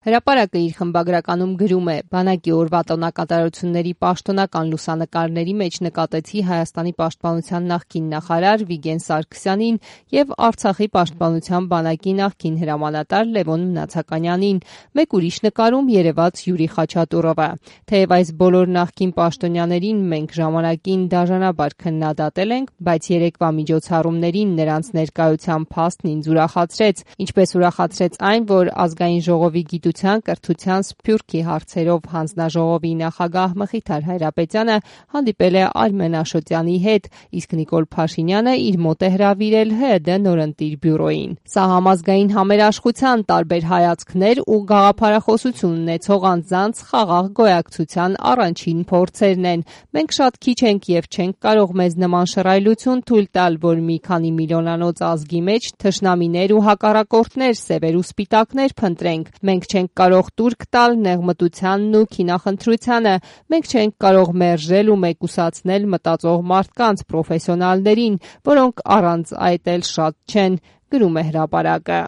Հրապարակը իր խմբագրականում գրում է. «Բանակի օրվա տոնակատարությունների պաշտոնական լուսանկարների մեջ նկատեցի Հայաստանի պաշտպանության նախկին նախարար Վիգեն Սարգսյանին և Արցախի պաշտպանության բանակի նախկին հրամանատար Լևոն Մնացականյանին, մեկ ուրիշ նկարում երևաց Յուրի Խաչատուրովը։ Թեև այս բոլոր նախկին պաշտոնյաներին մենք ժամանակին դաժանաբար քննադատել ենք, բայց երեկվա միջոցառումներին նրանց ներկայության փաստն ինձ ուրախացրեց, ինչպես ուրախացրեց այն, որ Ազգային ժողովի կրթության, սփյուռքի հարցերով հանձնաժողովի նախագահ Մխիթար Հայրապետյանը հանդիպել է Արմեն Աշոտյանի հետ, իսկ Նիկոլ Փաշինյանը իր մոտ է հրավիրել ՀՅԴ նորընտիր բյուրոյին։ Սա համազգային համերաշխության տարբեր հայացքներ ու գաղափարախոսություն ունեցող անձանց խաղաղ գոյակցության առաջին փորձերն են։ Մենք շատ քիչ ենք և չենք կարող մեզ նման շռայլություն թույլ տալ, որ մի քանի միլիոնանոց ազգի մեջ թշնամիներ ու հակառակորդներ, սևեր ու սպիտակներ փնտրենք։ Մենք չենք կարող տուրք տալ նեղմտությանն ու քինախնդրությանը, մենք չենք կարող մերժել ու մեկուսացնել մտածող մարդկանց, պրոֆեսիոնալներին, որոնք առանց այդ էլ շատ չեն», գրում է հրապարակը։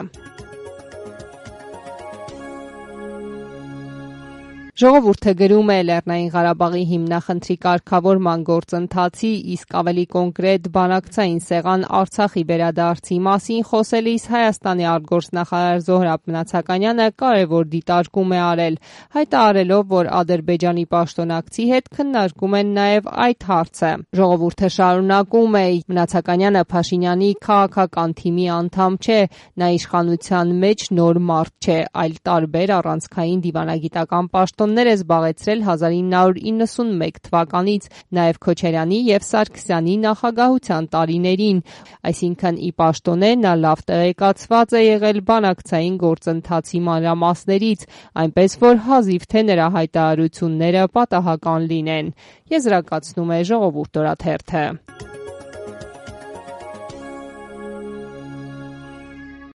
Ժողովուրդը գրում է. Լեռնային Ղարաբաղի հիմնախնդրի կարգավորման գործընթացի, իսկ ավելի կոնկրետ բանակցային սեղան Արցախի վերադարձի մասին խոսելիս Հայաստանի արտգործնախարար Զոհրաբ Մնացականյանը կարևոր դիտարկում է արել, հայտարարելով, որ Ադրբեջանի պաշտոնակցի հետ քննարկում են նաև այդ հարցը։ Ժողովուրդը շարունակում է. Մնացականյանը Փաշինյանի քաղաքական թիմի անդամ չէ, նա իշխանության մեջ նոր մարդ չէ, այլ տարբեր առանցքային դիվանագիտական պաշտոններ է զբաղեցրել 1991 թվականից, նաև Քոչարյանի և Սարգսյանի նախագահության տարիներին, այսինքն ի պաշտոնե նա լավ տեղեկացված է եղել բանակցային գործընթացի մանրամասներից, այնպես որ հազիվ թե նրա հայտարարությունները պատահական լինեն, եզրակացնում է Ժողովուրդ օրաթերթը։